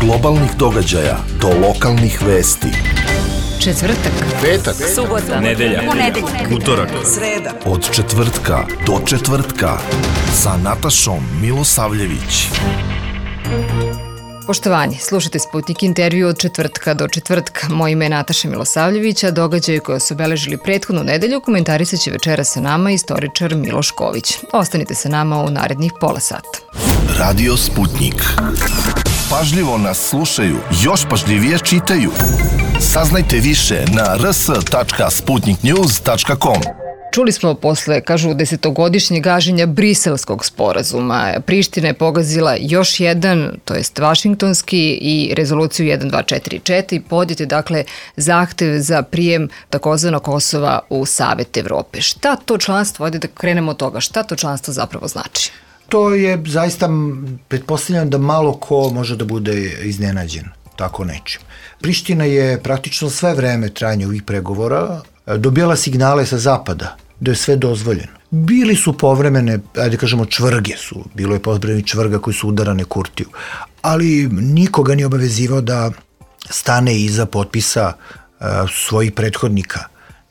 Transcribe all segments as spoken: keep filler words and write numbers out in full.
globalnih događaja do lokalnih vesti. Četvrtak, petak, subota, nedelja, ponedeljak, utorak, sreda. Od četvrtka do četvrtka sa Natašom Milosavljević. Poštovanje, slušajte Sputnik intervju od četvrtka do četvrtka. Moje ime je Nataša Milosavljević, a događaje koje su obeležili prethodnu nedelju komentarisat će večera sa nama istoričar Miloš Ković. Ostanite sa nama u narednih pola sata. Radio Sputnik. Pažljivo nas slušaju, još pažljivije čitaju. Saznajte više na r s tačka sputnik news tačka com. Čuli smo posle, kažu, desetogodišnjeg gaženja Briselskog sporazuma. Priština je pogazila još jedan, to jest vašingtonski, i rezoluciju jedan dva četiri četiri. Podjet je, dakle, zahtev za prijem takozvanog Kosova u Savet Evrope. Šta to članstvo, ajde da krenemo od toga, šta to članstvo zapravo znači? To je zaista, pretpostavljam da malo ko može da bude iznenađen tako nečim. Priština je praktično sve vreme trajanja ovih pregovora dobijala signale sa zapada da je sve dozvoljeno. Bili su povremene, ajde kažemo, čvrge su, bilo je povremeni čvrga koji su udarane Kurtiju, ali nikoga nije obavezivao da stane iza potpisa uh, svojih prethodnika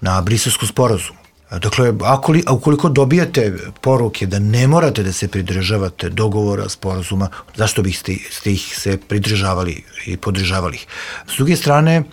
na Briselskom sporazumu. Dakle, ako li, ukoliko dobijate poruke da ne morate da se pridržavate dogovora, sporazuma, zašto biste ste ih se pridržavali i podržavali ih? S druge strane,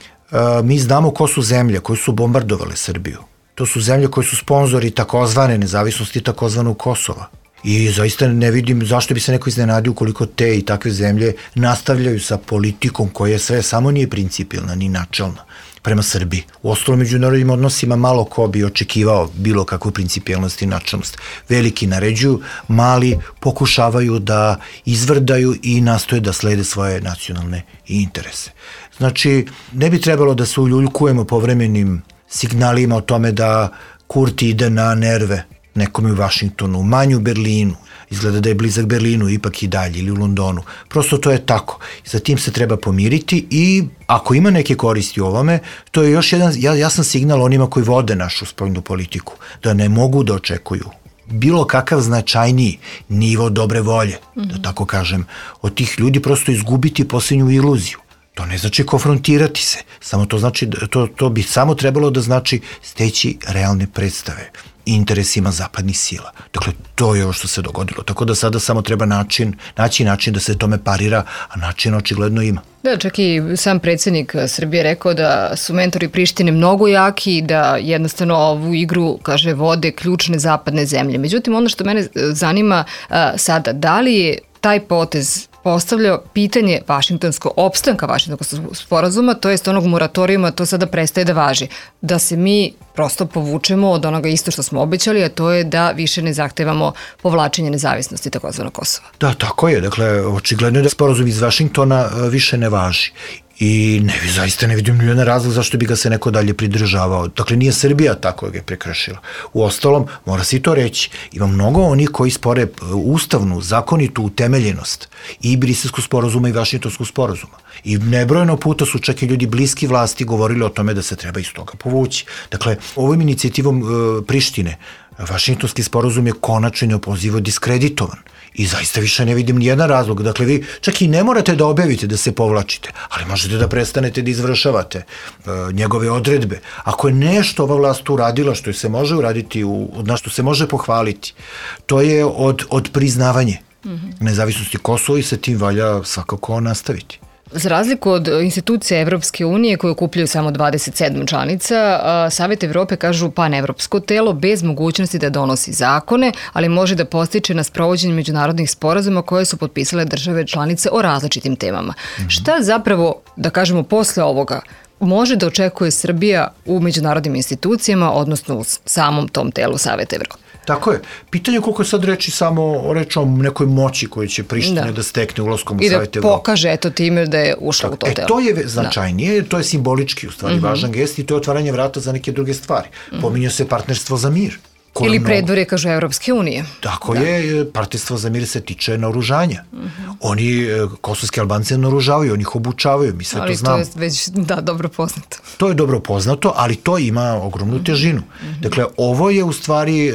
mi znamo ko su zemlje koje su bombardovale Srbiju. To su zemlje koje su sponzori takozvane nezavisnosti, takozvanog Kosova. I zaista ne vidim zašto bi se neko iznenadio ukoliko te i takve zemlje nastavljaju sa politikom koja je sve samo nije principijelna ni načelna prema Srbiji. U ostalom međunarodnim odnosima malo ko bi očekivao bilo kakvu principijelnost i načelnost. Veliki naređuju, mali pokušavaju da izvrdaju i nastoje da slede svoje nacionalne interese. Znači, ne bi trebalo da se uljuljkujemo povremenim signalima o tome da Kurti ide na nerve nekome u Vašingtonu, manje u Berlinu, izgleda da je blizak Berlinu, ipak i dalje, ili u Londonu. Prosto to je tako. Za tim se treba pomiriti i ako ima neke koristi u ovome, to je još jedan jasan signal onima koji vode našu spoljnu politiku, da ne mogu da očekuju bilo kakav značajniji nivo dobre volje, mm-hmm. da tako kažem, od tih ljudi, prosto izgubiti posljednju iluziju. To ne znači konfrontirati se, samo to znači, to, to bi samo trebalo da znači steći realne predstave interesima zapadnih sila. Dakle, to je ovo što se dogodilo. Tako da sada samo treba način, naći način da se tome parira, a način očigledno ima. Da, čak i sam predsjednik Srbije rekao da su mentori Prištine mnogo jaki i da jednostavno ovu igru, kaže, vode ključne zapadne zemlje. Međutim, ono što mene zanima a, sada, da li je taj potez postavljao pitanje vašingtonskog opstanka vašingtonskog sporazuma, to jest onog moratorijuma, to sada prestaje da važi. Da se mi prosto povučemo od onoga isto što smo obećali, a to je da više ne zahtevamo povlačenje nezavisnosti takozvanog Kosova. Da, tako je. Dakle, očigledno je da sporazum iz Vašingtona više ne važi. I ne, zaista ne vidim nijedan razlog zašto bi ga se neko dalje pridržavao. Dakle, nije Srbija tako ga je prekršila. U ostalom, mora se i to reći, ima mnogo onih koji spore ustavnu, zakonitu utemeljenost i Briselskog sporazuma i Vašingtonskog sporazuma. I nebrojeno puta su čak i ljudi bliski vlasti govorili o tome da se treba iz toga povući. Dakle, ovom inicijativom e, Prištine Vašingtonski sporazum je konačno neopozivo diskreditovan. I zaista više ne vidim nijedan razlog. Dakle, vi čak i ne morate da objavite da se povlačite, ali možete da prestanete da izvršavate e, njegove odredbe. Ako je nešto ova vlast uradila što se može uraditi, u, na što se može pohvaliti, to je od, od priznavanje mm-hmm. nezavisnosti Kosova i sa tim valja svakako nastaviti. Za razliku od institucija Evropske unije koje okupljaju samo dvadeset sedam članica, Savet Evrope kažu panevropsko telo bez mogućnosti da donosi zakone, ali može da postiče na sprovođenje međunarodnih sporazuma koje su potpisale države članice o različitim temama. Mm-hmm. Šta zapravo, da kažemo, posle ovoga može da očekuje Srbija u međunarodnim institucijama, odnosno u samom tom telu Saveta Evrope? Tako je. Pitanje je koliko je sad reči samo o rečom nekoj moći koju će Priština da, da stekne ulaskom u Savjet Evrope. I da pokaže eto time da je ušla tako, u to telo. E, to je značajnije, da. To je simbolički u stvari mm-hmm. važan gest i to je otvaranje vrata za neke druge stvari. Mm-hmm. Pominje se partnerstvo za mir. Ili predvorje, kažu, Evropske unije. Tako da. je, partnerstvo za mir se tiče naoružanja. Mm-hmm. Oni kosovski Albance naoružavaju, oni ih obučavaju, mi sve ali to znamo. Ali to je već, da, dobro poznato. To je dobro poznato, ali to ima ogromnu težinu. Mm-hmm. Dakle, ovo je u stvari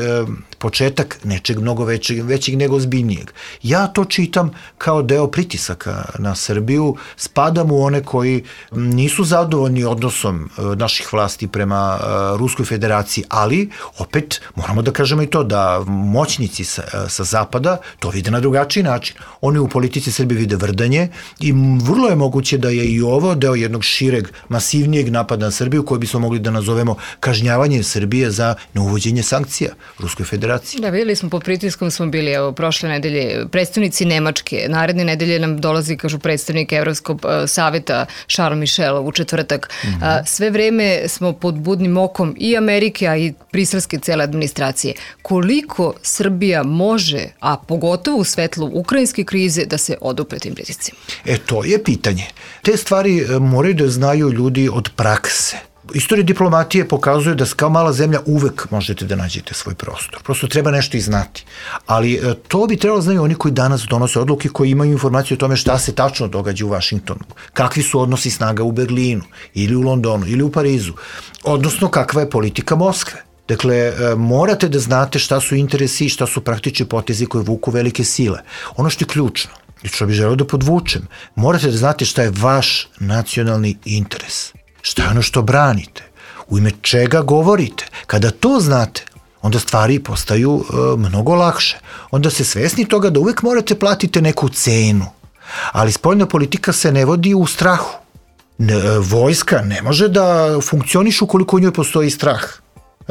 početak nečeg mnogo većeg, većeg nego ozbiljnijeg. Ja to čitam kao deo pritisaka na Srbiju, spadam u one koji nisu zadovoljni odnosom naših vlasti prema Ruskoj federaciji, ali opet moramo da kažemo i to da moćnici sa, sa zapada to vide na drugačiji način. Oni u politici Srbije vide vrdanje i vrlo je moguće da je i ovo deo jednog šireg, masivnijeg napada na Srbiju koji bismo mogli da nazovemo kažnjavanje Srbije za neuvođenje sankcija Ruskoj federaciji. Da, videli smo, pod pritiskom smo bili, evo, prošle nedelje, predstavnici Nemačke, naredne nedelje nam dolazi, kažu, predstavnik Evropskog saveta Charles Michel u četvrtak. Mm-hmm. Sve vreme smo pod budnim okom i Amerike, a i briselske cele administracije. Koliko Srbija može, a pogotovo u svetlu ukrajinske krize, da se odupre tim pritiscima? E, to je pitanje. Te stvari moraju da znaju ljudi od prakse. Istorija diplomatije pokazuje da kao mala zemlja uvek možete da nađete svoj prostor. Prosto treba nešto i znati. Ali to bi trebalo znaju oni koji danas donose odluke, koji imaju informaciju o tome šta se tačno događa u Vašingtonu, kakvi su odnosi snaga u Berlinu ili u Londonu ili u Parizu, odnosno kakva je politika Moskve. Dakle, morate da znate šta su interesi i šta su praktični potezi koje vuku velike sile. Ono što je ključno, i što bih želeo da podvučem, morate da znate šta je vaš nacionalni interes. Šta je ono što branite? U ime čega govorite? Kada to znate, onda stvari postaju e, mnogo lakše. Onda se svesni toga da uvek morate platiti neku cenu. Ali spoljna politika se ne vodi u strahu. Ne, vojska ne može da funkcioniše ukoliko u njoj postoji strah.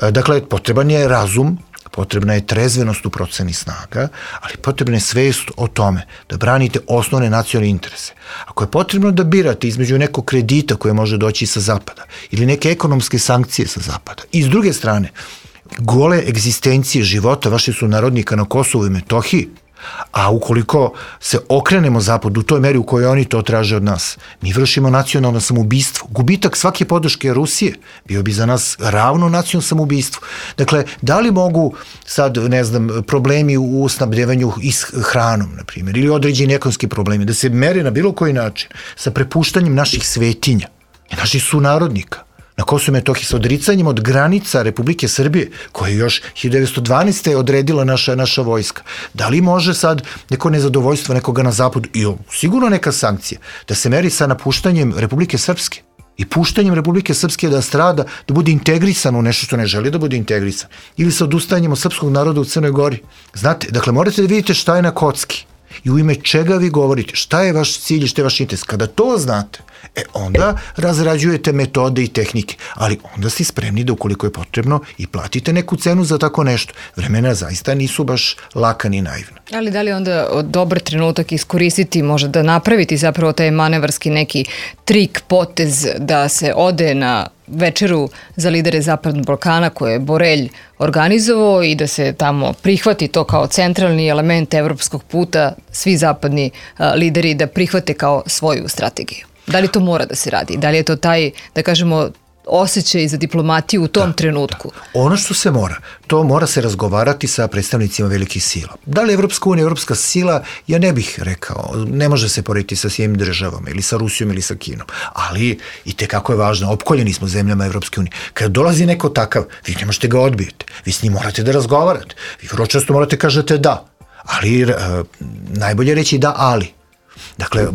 E, dakle, potreban je razum, potrebna je trezvenost u proceni snaga, ali potrebna je svest o tome da branite osnovne nacionalne interese. Ako je potrebno da birate između nekog kredita koje može doći sa zapada ili neke ekonomske sankcije sa zapada i s druge strane gole egzistencije života vaših sunarodnika na Kosovu i Metohiji, a ukoliko se okrenemo zapadu u toj meri u kojoj oni to traže od nas, mi vršimo nacionalno samoubistvo. Gubitak svake podrške Rusije bio bi za nas ravno nacionalno samoubistvo. Dakle, da li mogu sad, ne znam, problemi u snabdevanju s hranom, na primjer, ili određeni ekonomski problemi, da se mere na bilo koji način sa prepuštanjem naših svetinja i naših sunarodnika na Kosovu i Metohiji sa odricanjem od granica Republike Srbije, koje još hiljadu devetsto dvanaeste. odredila naša, naša vojska. Da li može sad neko nezadovoljstvo nekoga na zapadu i sigurno neka sankcija da se meri sa napuštanjem Republike Srpske i puštanjem Republike Srpske da strada, da bude integrisan u nešto što ne želi da bude integrisan, ili sa odustajanjem od srpskog naroda u Crnoj Gori? Znate, dakle, morate da vidite šta je na kocki i u ime čega vi govorite, šta je vaš cilj i šta je vaš interes. Kada to znate, e onda razrađujete metode i tehnike, ali onda ste spremni da ukoliko je potrebno i platite neku cenu za tako nešto. Vremena zaista nisu baš laka ni naivna. Ali da li onda dobar trenutak iskoristiti, možda da napraviti zapravo taj manevarski neki trik, potez da se ode na večeru za lidere Zapadnog Balkana koje je Borelj organizovao i da se tamo prihvati to kao centralni element evropskog puta, svi zapadni a, lideri da prihvate kao svoju strategiju? Da li to mora da se radi? Da li je to taj, da kažemo, osjećaj za diplomatiju u tom da, trenutku? Da. Ono što se mora, to mora se razgovarati sa predstavnicima velikih sila. Da li Evropska unija, Evropska sila, ja ne bih rekao, ne može se porediti sa svim državama ili sa Rusijom ili sa Kinom, ali i tekako je važno, opkoljeni smo zemljama Evropske unije. Kada dolazi neko takav, vi ne možete ga odbijete, vi s njim morate da razgovarate, vi vrlo često morate kažete da, ali e, najbolje reći da, ali. Dakle,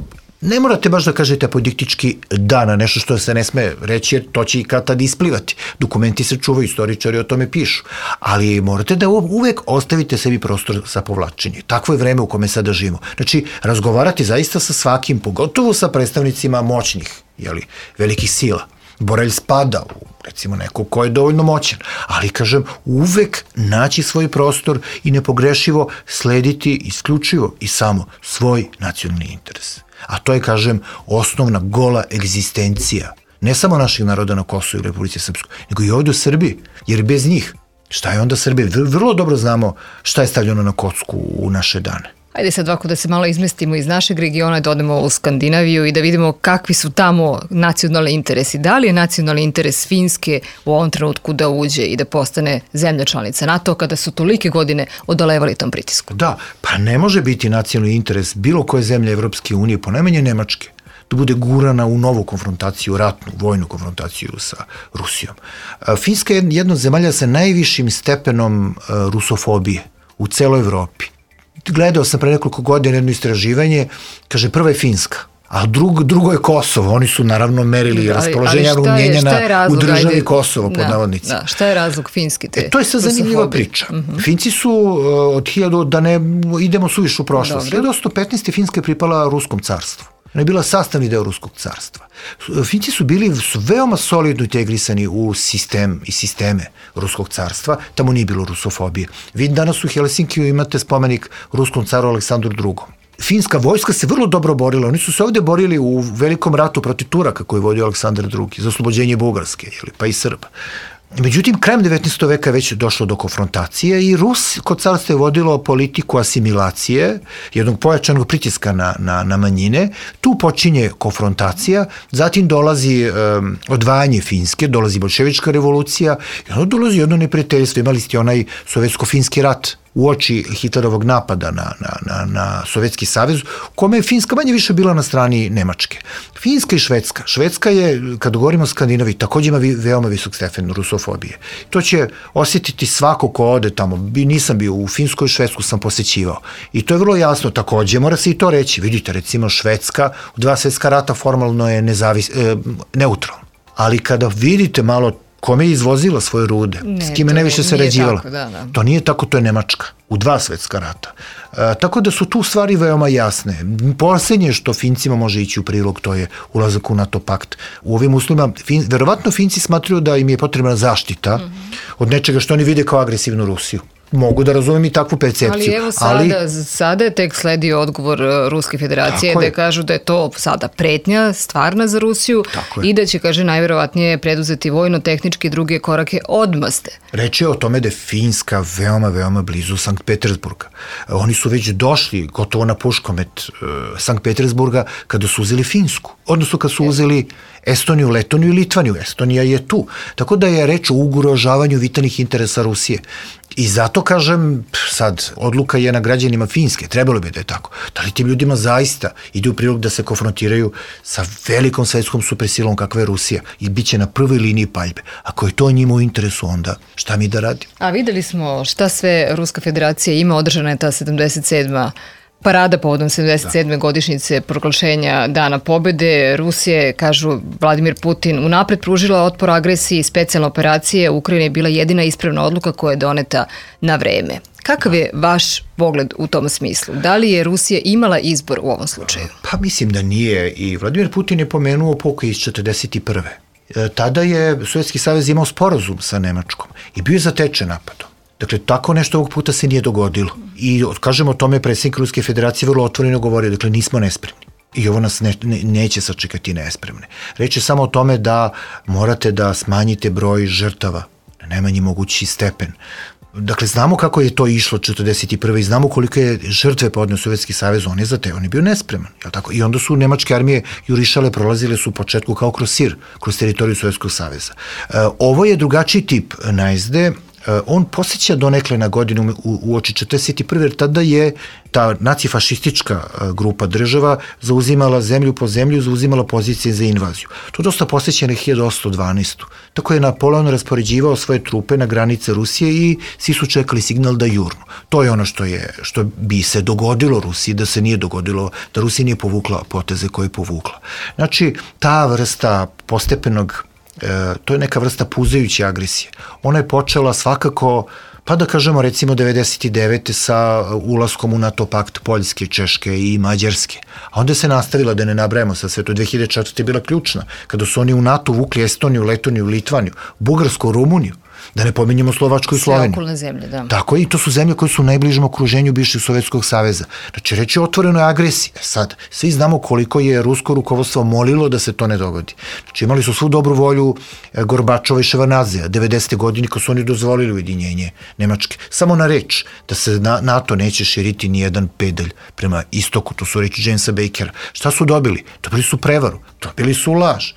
ne morate baš da kažete apodiktički da na nešto što se ne sme reći, jer to će i kad tad isplivati. Dokumenti se čuvaju, istoričari o tome pišu. Ali morate da uvek ostavite sebi prostor za povlačenje. Takvo je vreme u kome sada živimo. Znači, razgovarati zaista sa svakim, pogotovo sa predstavnicima moćnih, jeli, velikih sila. Borelj spada u, recimo, neko ko je dovoljno moćan, ali, kažem, uvek naći svoj prostor i nepogrešivo slediti isključivo i samo svoj nacionalni interes. A to je, kažem, osnovna gola egzistencija, ne samo naših naroda na Kosovu i Republici Srpskoj, nego i ovdje u Srbiji, jer bez njih, šta je onda Srbija? Vrlo dobro znamo šta je stavljeno na kocku u naše dane. Ajde sad ovako da se malo izmestimo iz našeg regiona, da odemo u Skandinaviju i da vidimo kakvi su tamo nacionalni interesi. Da li je nacionalni interes Finske u ovom trenutku da uđe i da postane zemlja članica NATO kada su tolike godine odolevali tom pritisku? Da, pa ne može biti nacionalni interes bilo koje zemlje Evropske unije, ponajmanje Nemačke, da bude gurana u novu konfrontaciju, ratnu, vojnu konfrontaciju sa Rusijom. Finska je jedna od zemalja sa najvišim stepenom rusofobije u celoj Evropi. Gledao sam pre nekoliko godina jedno istraživanje, kaže prva je Finska, a drug, drugo je Kosovo. Oni su naravno merili raspoloženja Rumunjenja u državi Kosovo, pod da, navodnicima. Da, šta je razlog finski te? E, to je sad zanimljiva priča. Uh-huh. Finci su uh, od hiljadu, da ne idemo suviše u prošlost, hiljadu osamsto petnaeste. Finska je pripala Ruskom carstvu. Ona je bila sastavni deo Ruskog carstva. Finci su bili su veoma solidno integrisani u sistem i sisteme Ruskog carstva, tamo nije bilo rusofobije. Vi danas u Helsinkiju imate spomenik Ruskom caru Aleksandru drugom. Finska vojska se vrlo dobro borila. Oni su se ovde borili u velikom ratu protiv Turaka koji je vodio Aleksandar drugi za oslobođenje Bugarske, pa i Srba. Međutim, krajem devetnaestog veka je već došlo do konfrontacije i Rusko carstvo je vodilo politiku asimilacije, jednog pojačanog pritiska na, na, na manjine. Tu počinje konfrontacija, zatim dolazi um, odvajanje Finske, dolazi bolševička revolucija i onda dolazi jedno neprijateljstvo. Imali ste onaj sovjetsko-finski rat uoči Hitlerovog napada na, na, na, na Sovjetski savez, u kome je Finska manje više bila na strani Nemačke. Finska i Švedska. Švedska je, kad govorimo o Skandinaviji, također ima vi, veoma visok stepen rusofobije. To će osjetiti svako ko ode tamo. Nisam bio u Finsku i Švedsku sam posećivao. I to je vrlo jasno. Također mora se i to reći. Vidite, recimo Švedska u dva svjetska rata formalno je nezavis, e, neutralna. Ali kada vidite malo kome je izvozila svoje rude, ne, s kime najviše sarađivala. Da, da. To nije tako, to je Nemačka u dva svetska rata. E, tako da su tu stvari veoma jasne. Posljednje što Fincima može ići u prilog, to je ulazak u NATO pakt. U ovim uslovima, fin, verovatno Finci smatruju da im je potrebna zaštita mm-hmm. od nečega što oni vide kao agresivnu Rusiju. Mogu da razumijem i takvu percepciju. Ali evo sada, ali... sada je tek sledi odgovor Ruske federacije da kažu da je to sada pretnja stvarna za Rusiju i da će, kaže, najverovatnije preduzeti vojno-tehnički druge korake odmaste. Reč je o tome da je Finska veoma, veoma blizu Sankt Petersburga. Oni su već došli gotovo na puškomet uh, Sankt Petersburga kada su uzeli Finsku. Odnosno kad su uzeli Estoniju, Letoniju i Litvaniju. Estonija je tu. Tako da je reč o ugrožavanju vitalnih interesa Rusije. I zato kažem, sad, odluka je na građanima Finske, trebalo bi da je tako. Da li tim ljudima zaista ide u prilog da se konfrontiraju sa velikom svetskom supersilom kakva je Rusija i bit će na prvoj liniji paljbe. Ako je to njima u interesu, onda šta mi da radimo? A videli smo šta sve Ruska federacija ima, održana je ta sedamdeset sedma parada povodom sedamdeset sedme Da. Godišnjice proglašenja Dana pobede. Rusije, kažu Vladimir Putin, unapred pružila otpor agresiji, specijalne operacije. Ukrajina je bila jedina ispravna odluka koja je doneta na vreme. Kakav je vaš pogled u tom smislu? Da li je Rusija imala izbor u ovom slučaju? Pa mislim da nije i Vladimir Putin je pomenuo pokoj iz četrdeset prve. Tada je Sovjetski savez imao sporazum sa Nemačkom i bio je zatečen napadom. Dakle, tako nešto ovog puta se nije dogodilo. I, kažemo, o tome predsjednik Ruske federacije vrlo otvoreno govorio, dakle, nismo nespremni. I ovo nas ne, ne, neće sačekati nespremne. Reč je samo o tome da morate da smanjite broj žrtava na najmanji mogući stepen. Dakle, znamo kako je to išlo četrdeset prve i znamo koliko je žrtve podneo Sovjetski savez, on je za te, on je bio nespreman. Jel tako? I onda su nemačke armije jurišale, prolazile su u početku kao kroz sir, kroz teritoriju Sovjetskog saveza. E, ovo je drugačiji tip najezde. On posjeća donekle na godinu u, u oči četrdeset prve jer tada je ta nacifašistička grupa država zauzimala zemlju po zemlju, zauzimala pozicije za invaziju. To dosta posjeća na hiljadu osamsto dvanaestu. Tako je Napoleon raspoređivao svoje trupe na granice Rusije i svi su čekali signal da jurnu. To je ono što, je, što bi se dogodilo Rusiji, da se nije dogodilo, da Rusija nije povukla poteze koje je povukla. Znači, ta vrsta postepenog E, to je neka vrsta puzajuće agresije. Ona je počela svakako, pa da kažemo recimo devedeset devete sa ulaskom u NATO pakt Poljske, Češke i Mađarske. A onda se nastavila, da ne nabrajamo sa sve to, dve hiljade četvrte je bila ključna, kada su oni u NATO vukli Estoniju, Letoniju, Litvaniju, Bugarsku, Rumuniju. Da ne pominjemo Slovačku i Sloveniju. Sve okolne zemlje, da. Tako je, i to su zemlje koje su u najbližem okruženju bivšeg Sovjetskog saveza. Znači, reći je otvorenoj agresiji. Sad, svi znamo koliko je rusko rukovodstvo molilo da se to ne dogodi. Znači, imali su svu dobru volju Gorbačova i Ševanazija, devedesete godine, kad su oni dozvolili ujedinjenje Nemačke. Samo na reč da se NATO neće širiti ni jedan pedalj prema istoku, to su reči Jamesa Bakera. Šta su dobili? Dobili su prevaru, dobili su laž.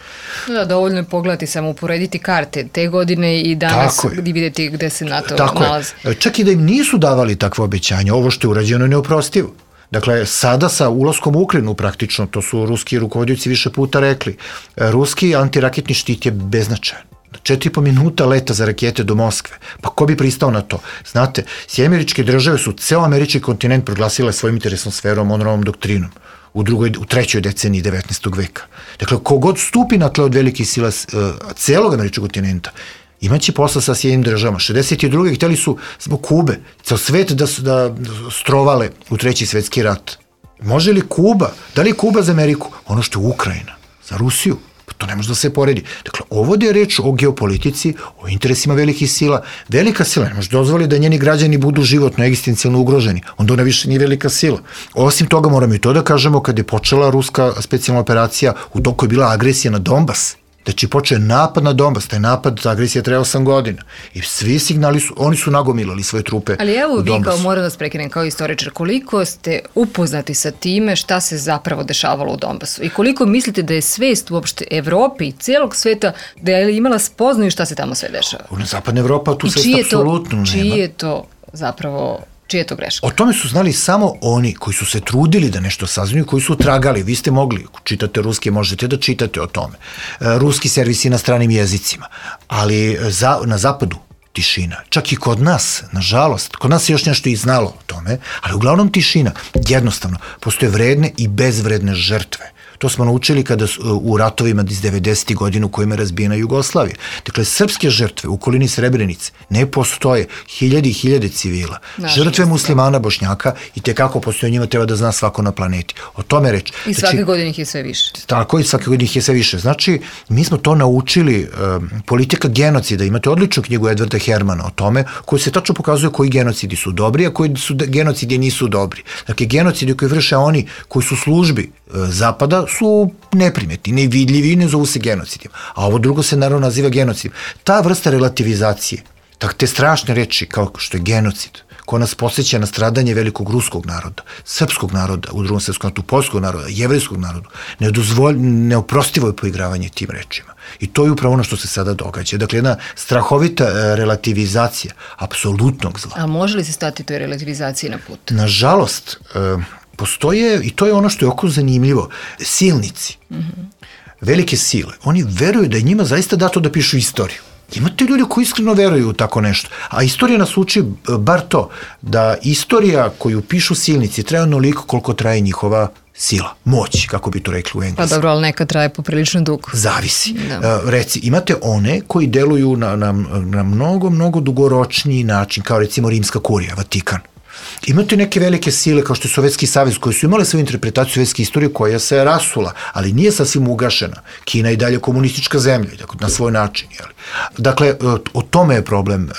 Da, dovoljno je pogledati, samo uporediti karte te godine i danas i vidjeti gde se NATO Tako nalazi. Je. Čak i da im nisu davali takve obećanja, ovo što je urađeno je neoprostivo. Dakle, sada sa ulaskom u Ukrajinu praktično, to su ruski rukovodioci više puta rekli, ruski antiraketni štit je beznačajan. Četiri i po minuta leta za rakete do Moskve. Pa ko bi pristao na to? Znate, Sjedinjene Američke Države su ceo američki kontinent proglasile svojim interesnom sferom, Monroeovom doktrinom u, drugoj, u trećoj deceniji devetnaestog veka. Dakle, kogod stupi na tle od velikih sila uh, celog američkog kontinenta, imaće posla sa Sjedinjenim Državama. šezdeset druge hteli su zbog Kube, ceo svet da, da strovale u treći svetski rat. Može li Kuba, da li je Kuba za Ameriku? Ono što je Ukrajina, za Rusiju. To ne može da se poredi. Dakle, ovdje je reč o geopolitici, o interesima velikih sila. Velika sila ne može dozvoliti da njeni građani budu životno, egzistencijalno ugroženi. Onda ona više nije velika sila. Osim toga, moramo i to da kažemo, kad je počela ruska specijalna operacija, u toku je bila agresija na Donbas. Znači, počeo je napad na Donbas, taj napad, ta agresija traje osam godina. I svi signali su, oni su nagomilali svoje trupe u Donbasu. Ali evo vi, kao moram da prekinem kao istoričar, koliko ste upoznati sa time šta se zapravo dešavalo u Donbasu? I koliko mislite da je svest uopšte Evrope i celog sveta da je imala spoznaju šta se tamo sve dešava? U zapadna Evropa tu svest apsolutno nema. Čiji je to zapravo... Čije je to greška? O tome su znali samo oni koji su se trudili da nešto saznaju, koji su tragali. Vi ste mogli, čitate ruski, možete da čitate o tome. Ruski servisi na stranim jezicima. Ali za, na zapadu tišina. Čak i kod nas, nažalost, kod nas je još nešto i znalo o tome, ali uglavnom tišina. Jednostavno, postoje vredne i bezvredne žrtve. To smo naučili kada u ratovima iz devedesetih godina u kojima je razbijena Jugoslavija. Dakle, srpske žrtve u okolini Srebrenice ne postoje, hiljade i hiljade civila. Nažalost, žrtve muslimana, Bošnjaka i tekako postoje, njima treba da zna svako na planeti. O tome reč. I svake znači, godine ih je sve više. Tako, i svake godine ih je sve više. Znači, mi smo to naučili, um, politika genocida. Imate odličnu knjigu Edvarda Hermana o tome, koji se tačno pokazuje koji genocidi su dobri, a koji su genocidi nisu dobri. Dakle, genocidi koji vrše oni koji su službi uh, Zapada su neprimetni, nevidljivi i ne zovu se genocidima. A ovo drugo se naravno naziva genocidima. Ta vrsta relativizacije, te strašne reči kao što je genocid, ko nas podsjeća na stradanje velikog ruskog naroda, srpskog naroda, u drugom svetskom ratu, poljskog naroda, jevrejskog naroda, neoprostivo je poigravanje tim rečima. I to je upravo ono što se sada događa. Dakle, jedna strahovita relativizacija apsolutnog zla. A može li se stati toj relativizaciji na put? Nažalost, postoje, i to je ono što je oko zanimljivo, silnici, mm-hmm. velike sile, oni veruju da je njima zaista dato da pišu istoriju. Imate ljudi koji iskreno veruju u tako nešto. A istorija nas uči bar to, da istorija koju pišu silnici traje onoliko koliko traje njihova sila, moć, kako bi to rekli u engleskom. Pa dobro, ali neka traje poprilično dugo. Zavisi. Da. Reci, imate one koji deluju na, na, na mnogo, mnogo dugoročniji način, kao recimo Rimska kurija, Vatikan. Imate neke velike sile kao što je Sovjetski savez koji su imali svoju interpretaciju sovjetske istorije koja se rasula, ali nije sasvim ugašena. Kina je dalje komunistička zemlja, na svoj način. Jeli? Dakle, o tome je problem.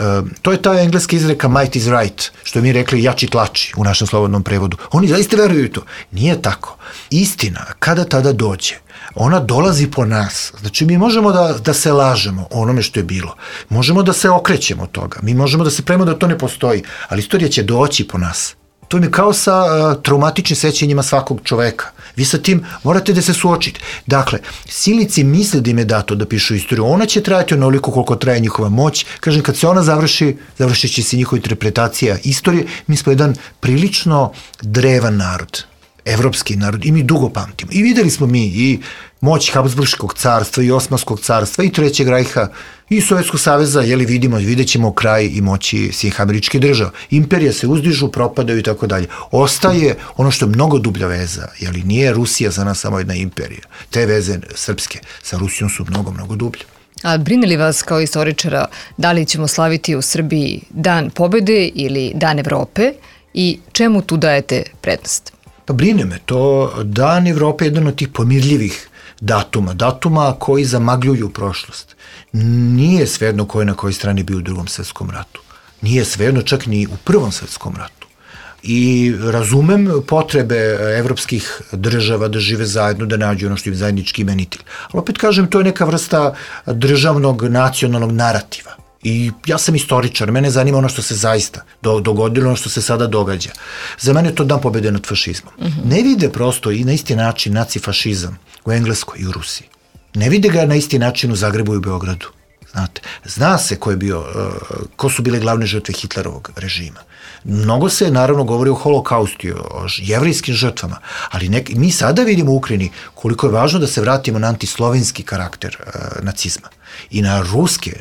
To je ta engleska izreka might is right, što je mi rekli jači tlači u našem slobodnom prevodu. Oni zaista veruju to. Nije tako. Istina, kada tada dođe, ona dolazi po nas. Znači, mi možemo da, da se lažemo o onome što je bilo. Možemo da se okrećemo od toga. Mi možemo da se pravimo da to ne postoji. Ali istorija će doći po nas. To je kao sa uh, traumatičnim sećanjima svakog čoveka. Vi sa tim morate da se suočite. Dakle, silnici misle da im je dato da pišu istoriju. Ona će trajati onoliko koliko traje njihova moć. Kažem, kad se ona završi, završit će se njihova interpretacija istorije. Mi smo jedan prilično drevan narod. Evropski narod i mi dugo pamtimo. I videli smo mi i moć Habsburškog carstva i Osmanskog carstva i Trećeg rajha i Sovjetskog saveza, jeli vidimo, vidjet ćemo kraj i moći svih američkih država. Imperije se uzdižu, propadaju i tako dalje. Ostaje ono što je mnogo dublja veza, jeli nije Rusija za nas samo jedna imperija. Te veze srpske sa Rusijom su mnogo, mnogo dublje. A brine li vas kao istoričara da li ćemo slaviti u Srbiji Dan pobede ili Dan Evrope i čemu tu dajete prednost? Pa brine me to. Dan Evrope je jedan od tih pomirljivih datuma, datuma koji zamagljuju prošlost. Nije svejedno ko je na kojoj strani bio u drugom svetskom ratu. Nije svejedno čak ni u prvom svetskom ratu. I razumem potrebe evropskih država da žive zajedno, da nađu ono što je zajednički imenitelj. Ali opet kažem, to je neka vrsta državnog, nacionalnog narativa. I ja sam istoričar, mene zanima ono što se zaista dogodilo, ono što se sada događa. Za mene je to dan pobede nad fašizmom. Mm-hmm. Ne vide prosto i na isti način nacifašizam u Engleskoj i u Rusiji. Ne vide ga na isti način u Zagrebu i u Beogradu. Znate, zna se ko je bio, ko su bile glavne žrtve Hitlerovog režima. Mnogo se naravno govori o holokaustu, o jevrijskim žrtvama, ali nek, mi sada vidimo u Ukrajini koliko je važno da se vratimo na antislovenski karakter uh, nacizma i na ruske,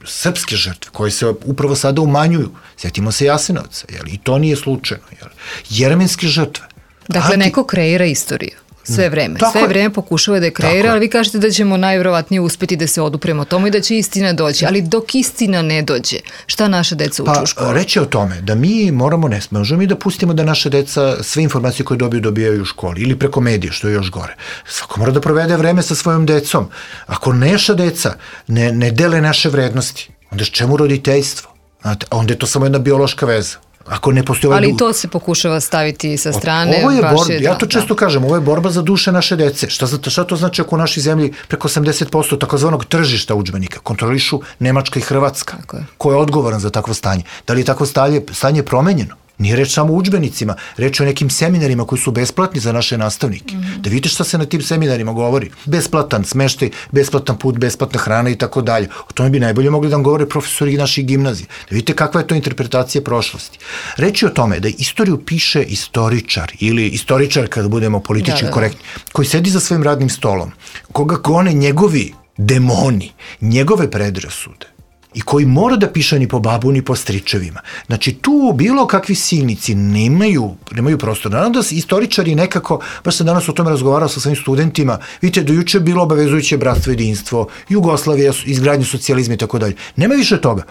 srpske žrtve koje se upravo sada umanjuju. Sjetimo se Jasenovca, jel? I to nije slučajno. Jel? Jermenske žrtve. Dakle, Anti... neko kreira istoriju. Sve vreme. Tako Sve je. vreme pokušava da je kreira, ali vi kažete da ćemo najvjerovatnije uspeti da se odupremo tomu i da će istina doći. Ali dok istina ne dođe, šta naša deca uče pa, u školu? Reći o tome da mi moramo, ne možemo mi da pustimo da naša deca sve informacije koje dobiju dobijaju u školi ili preko medija, što je još gore. Svako mora da provede vreme sa svojom decom. Ako naša deca ne, ne dele naše vrednosti, onda čemu roditeljstvo? Znate, onda je to samo jedna biološka veza. Ako ne postoji ovaj Ali du... to se pokušava staviti sa strane. Ovo je baš borba, je, ja da, to često da. kažem, ovo je borba za duše naše dece. Šta, šta to znači ako u našoj zemlji preko osamdeset posto takozvanog tržišta udžbenika kontrolišu Nemačka i Hrvatska? Ko je odgovoran za takvo stanje? Da li je takvo stanje, stanje promenjeno? Nije reč samo o udžbenicima, reč o nekim seminarima koji su besplatni za naše nastavnike. Mm-hmm. Da vidite šta se na tim seminarima govori. Besplatan smeštaj, besplatan put, besplatna hrana i tako dalje. O tome bi najbolje mogli da vam govore profesori naših gimnazija. Da vidite kakva je to interpretacija prošlosti. Reč je o tome da istoriju piše istoričar ili istoričar kada budemo politički da, da. korektni, koji sedi za svojim radnim stolom, koga gone njegovi demoni, njegove predrasude, i koji mora da piše ni po babu, ni po stričevima. Znači, tu bilo kakvi silnici nemaju, nemaju prostor. Naravno da istoričari nekako, baš sam danas o tome razgovarao sa svojim studentima, vidite, do juče je bilo obavezujuće bratstvo, jedinstvo, Jugoslavija, izgradnju socijalizma i tako dalje. Nema više toga.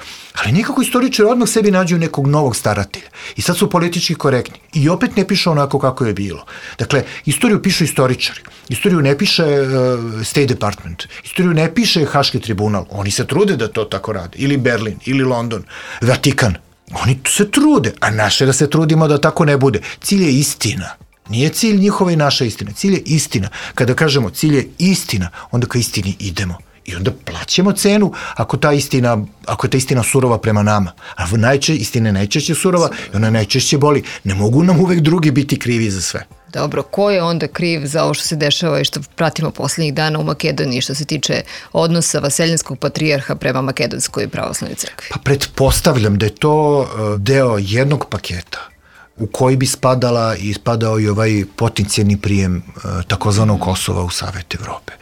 Ali nekako istoričari odmah sebi nađu nekog novog staratelja. I sad su politički korektni. I opet ne piše onako kako je bilo. Dakle, istoriju pišu istoričari. Istoriju ne piše uh, State Department. Istoriju ne piše Haški tribunal. Oni se trude da to tako rade. Ili Berlin, ili London, Vatikan. Oni se trude, a naše da se trudimo da tako ne bude. Cilj je istina. Nije cilj njihova i naša istina. Cilj je istina. Kada kažemo cilj je istina, onda ka istini idemo. I onda plaćamo cenu ako ta istina, ako je ta istina surova prema nama. A najče, istina je najčešće surova i ona najčešće boli. Ne mogu nam uvek drugi biti krivi za sve. Dobro, ko je onda kriv za ovo što se dešava i što pratimo poslednjih dana u Makedoniji što se tiče odnosa vaseljanskog patrijarha prema Makedonskoj pravoslavnoj crkvi? Pa pretpostavljam da je to deo jednog paketa u koji bi spadala i spadao i ovaj potencijalni prijem takozvanog Kosova u Savet Evrope.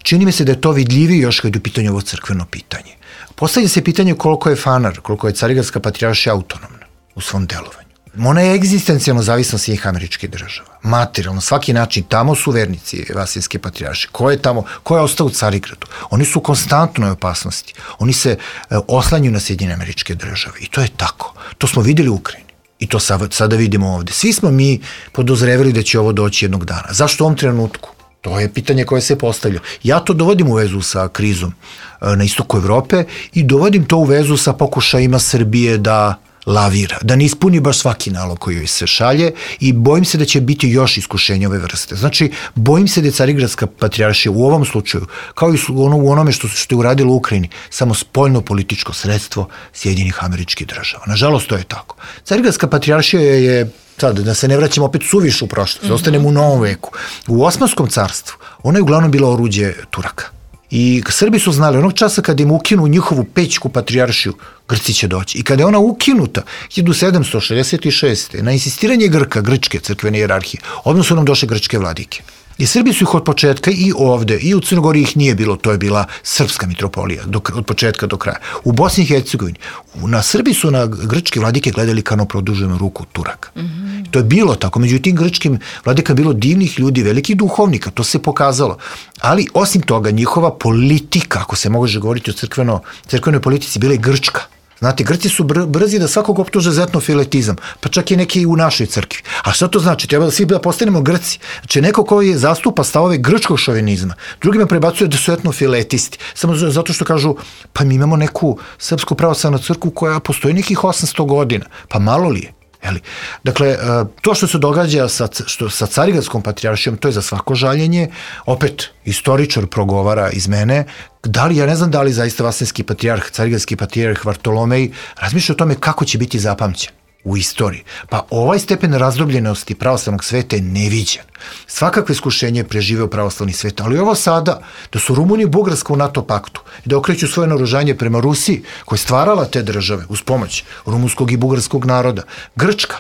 Čini mi se da je to vidljivije još kad je u pitanju ovo crkveno pitanje. Postavlja se pitanje koliko je Fanar, koliko je Carigradska patrijaršija autonomna u svom delovanju. Ona je egzistencijalno zavisna od svih američkih država. Materijalno, svaki način, tamo su vernici Vasilske patrijaršije. Ko je tamo, ko je ostao u Carigradu? Oni su u konstantnoj opasnosti. Oni se e, oslanjuju na Sjedinjene američke države. I to je tako. To smo videli u Ukrajini. I to sada vidimo ovde. Svi smo mi podozrevili da će ovo doći jednog dana. Zašto u ovom trenutku? To je pitanje koje se postavlja. Ja to dovodim u vezu sa krizom na istoku Evrope i dovodim to u vezu sa pokušajima Srbije da lavira, da ne ispuni baš svaki nalog koji joj se šalje i bojim se da će biti još iskušenja ove vrste. Znači, bojim se da je Carigradska patrijaršija u ovom slučaju, kao i ono, u onome što, što je uradilo u Ukrajini, samo spoljno političko sredstvo Sjedinjenih američkih država. Nažalost, to je tako. Carigradska patrijaršija je, sad, da se ne vraćamo opet suviše u prošlost, mm-hmm. ostanemo u novom veku. U Osmanskom carstvu ona je uglavnom bila oruđe Turaka. I Srbi su znali, onog časa kada im ukinu njihovu pećku patrijaršiju, Grci će doći. I kada je ona ukinuta hiljadu sedamsto šezdeset šeste. na insistiranje Grka, grčke crkvene hijerarhije, odmah su nam došle grčke vladike. I Srbi su ih od početka i ovde, i u Crnogori ih nije bilo, to je bila srpska mitropolija, do, od početka do kraja. U Bosni i Hercegovini, na Srbi su na grčke vladike gledali kao na produženu ruku Turaka. Mm-hmm. To je bilo tako, međutim grčkim vladika bilo divnih ljudi, velikih duhovnika, to se pokazalo. Ali osim toga, njihova politika, ako se može govoriti o crkveno, crkvenoj politici, bila je grčka. Znate, Grci su br- brzi da svakog optuže za etnofiletizam, pa čak i neki u našoj crkvi. A šta to znači? Treba da svi da postanemo Grci. Znači, neko koji zastupa stavove grčkog šovinizma, drugima prebacuje da su etnofiletisti, samo zato što kažu, pa mi imamo neku srpsku pravoslavnu crkvu koja postoji nekih osamsto godina, pa malo li je? Jeli? Dakle, to što se događa sa, što, sa Carigradskom patrijaršijom, to je za svako žaljenje. Opet, istoričar progovara iz mene, da li, ja ne znam da li zaista vaseljanski patrijarh, Carigradski patrijarh Vartolomej razmišlja o tome kako će biti zapamćen. u istoriji. Pa ovaj stepen razdrobljenosti pravoslavnog sveta je neviđen. Svakakve iskušenje je preživeo pravoslavni svet, ali ovo sada, da su Rumunija i Bugarska u NATO paktu i da okreću svoje naoružanje prema Rusiji, koja je stvarala te države uz pomoć rumunskog i bugarskog naroda, Grčka,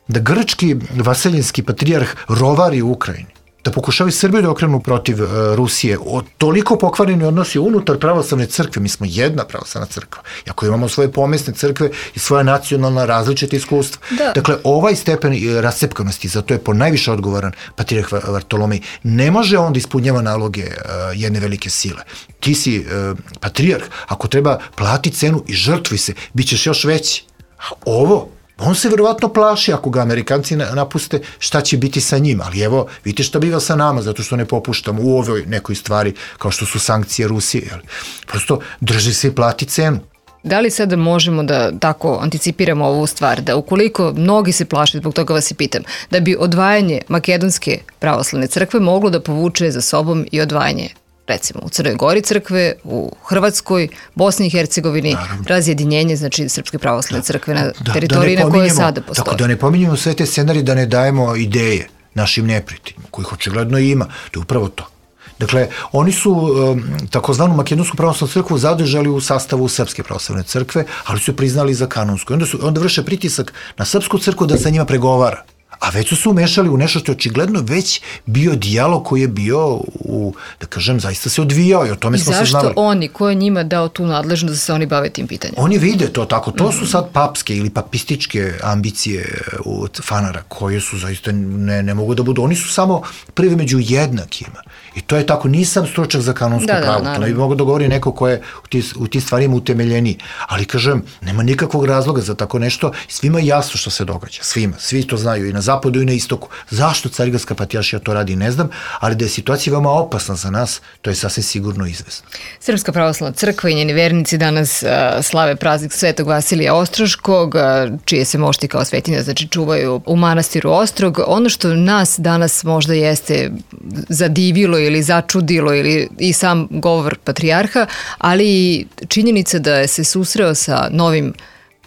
da grčki vaseljenski patrijarh rovari u Ukrajini, da pokušavaju Srbiju da okrenu protiv uh, Rusije, o, toliko pokvareni odnosi unutar pravoslavne crkve, mi smo jedna pravoslavna crkva, iako imamo svoje pomesne crkve i svoja nacionalna različita iskustva. Da. Dakle, ovaj stepen rascepkanosti, zato je po najviše odgovoran patrijarh Vartolomej, ne može on da ispunjava naloge uh, jedne velike sile. Ti si uh, patrijarh, ako treba plati cenu i žrtvuj se, bit ćeš još veći. A ovo, on se verovatno plaši ako ga Amerikanci napuste, šta će biti sa njim, ali evo, vidite šta biva sa nama, zato što ne popuštamo u ovoj nekoj stvari, kao što su sankcije Rusije. Jel? Prosto drži se i plati cenu. Da li sada možemo da tako anticipiramo ovu stvar, da ukoliko mnogi se plaše, zbog toga vas i pitam, da bi odvajanje Makedonske pravoslavne crkve moglo da povuče za sobom i odvajanje, recimo u Crnoj Gori crkve, u Hrvatskoj, Bosni i Hercegovini, naravno, razjedinjenje, znači Srpske pravoslavne crkve na da, teritoriji da na kojoj sada postoji. Tako da ne pominjemo sve te scenarije, da ne dajemo ideje našim neprijateljima, kojih očigledno ima, to je upravo to. Dakle, oni su um, takozvanu Makedonsku pravoslavnu crkvu zadržali u sastavu Srpske pravoslavne crkve, ali su je priznali za kanonsku. Onda, su, onda vrše pritisak na Srpsku crkvu da sa njima pregovara. A već su se umešali u nešto što je očigledno već bio dijalog koji je bio, u, da kažem, zaista se odvijao i o tome smo se znali. Zašto oni, ko je njima dao tu nadležnost da se oni bave tim pitanjem? Oni vide to tako, to su sad papske ili papističke ambicije od fanara koje su zaista ne, ne mogu da budu. Oni su samo prvi među jednakima. I to je tako, nisam stručnjak za kanonsko da, pravo, da, to ne bi mogo da govori neko ko je u tim u ti stvarima utemeljeniji. Ali kažem, nema nikakvog razloga za tako nešto, svima je jasno što se događa, svima, svi to znaju i na zapadu i na istoku. Zašto Carigradska patrijaršija to radi, ne znam, ali da je situacija veoma opasna za nas, to je sasvim sigurno izvesno. Srpska pravoslavna crkva i njeni vernici danas uh, slave praznik Svetog Vasilija Ostroškog, uh, čije se mošti kao svetinja, znači čuvaju u manastiru Ostrog. Ono što nas danas možda jeste zadivilo ili začudilo ili i sam govor patrijarha, ali i činjenica da je se susreo sa novim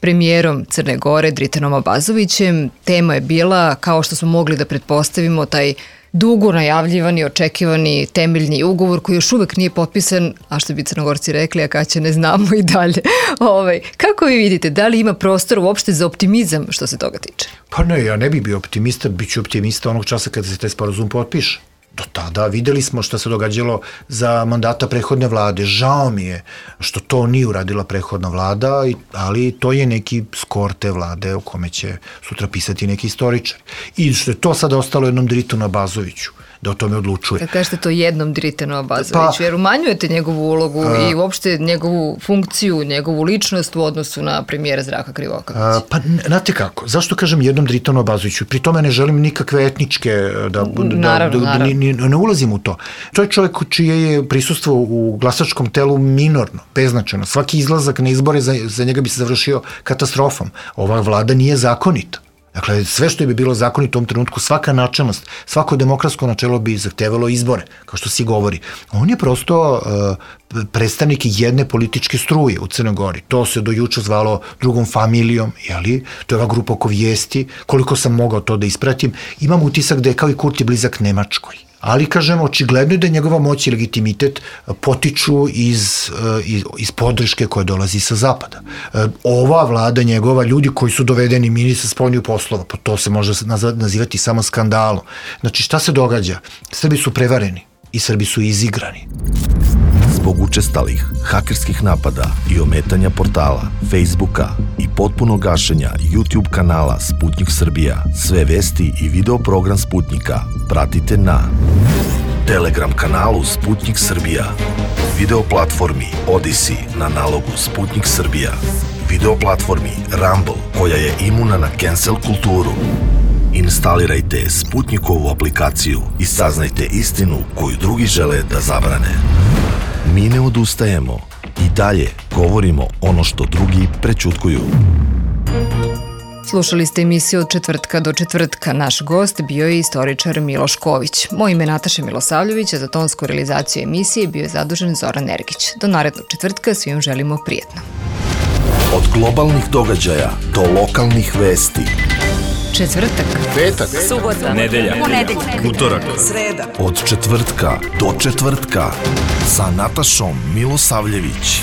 premijerom Crne Gore, Dritanom Abazovićem. Tema je bila, kao što smo mogli da pretpostavimo, taj dugo najavljivani, očekivani temeljni ugovor koji još uvek nije potpisan, a što bi Crnogorci rekli, a kad će ne znamo i dalje. Ovaj, kako vi vidite, da li ima prostor uopšte za optimizam što se toga tiče? Pa ne, ja ne bih bio optimista, bit ću optimista onog časa kada se taj sporazum potpiše. Do tada videli smo što se događalo za mandata prethodne vlade. Žao mi je što to nije uradila prethodna vlada, ali to je neki skor te vlade o kome će sutra pisati neki istoričar. I što je to sada ostalo jednom Dritanu Abazoviću da o tome odlučuje. Kad kažete to jednom Dritanu Abazoviću, pa, jer umanjujete njegovu ulogu a, i uopšte njegovu funkciju, njegovu ličnost u odnosu na premijera Zdravka Krivokapića. Pa, znate kako, zašto kažem jednom Dritanu Abazoviću? Pri tome ne želim nikakve etničke, da, naravno, da, da, naravno. Ni, ne ulazim u to. To je čovjek čije je prisustvo u glasačkom telu minorno, beznačajno. Svaki izlazak na izbore za, za njega bi se završio katastrofom. Ova vlada nije zakonita. Dakle, sve što bi bilo zakonito u tom trenutku, svaka načelnost, svako demokratsko načelo bi zahtevalo izbore, kao što si govori. On je prosto uh, predstavnik jedne političke struje u Crnoj Gori. To se do juče zvalo drugom familijom, jeli? To je ova grupa oko vijesti. Koliko sam mogao to da ispratim, imam utisak da je kao i Kurti blizak Nemačkoj. Ali, kažem, očigledno je da njegova moć i legitimitet potiču iz, iz, iz podrške koje dolazi sa zapada. Ova vlada njegova, ljudi koji su dovedeni ministar spoljnih poslova, pa to se može nazivati samo skandalom. Znači, šta se događa? Srbi su prevareni i Srbi su izigrani. Zbog učestalih hakerskih napada i ometanja portala, Facebooka i potpunog gašenja YouTube kanala Sputnik Srbija, sve vesti i video program Sputnika pratite na Telegram kanalu Sputnik Srbija, video platformi Odyssey na nalogu Sputnik Srbija, video platformi Rumble koja je imuna na cancel kulturu. Instalirajte Sputnikovu aplikaciju i saznajte istinu koju drugi žele da zabrane. Mi ne odustajemo i dalje govorimo ono što drugi prećutkuju. Slušali ste emisiju od četvrtka do četvrtka. Naš gost bio je istoričar Miloš Ković. Moje ime je Nataša Milosavljević, a za tonsku realizaciju emisije bio je zadužen Zoran Ergić. Do narednog četvrtka svim želimo prijetno. Od globalnih događaja do lokalnih vesti. Četvrtak, Petak, subota, nedelja, ponedeljak, utorak, sreda. od četvrtka do četvrtka sa Natašom Milosavljević.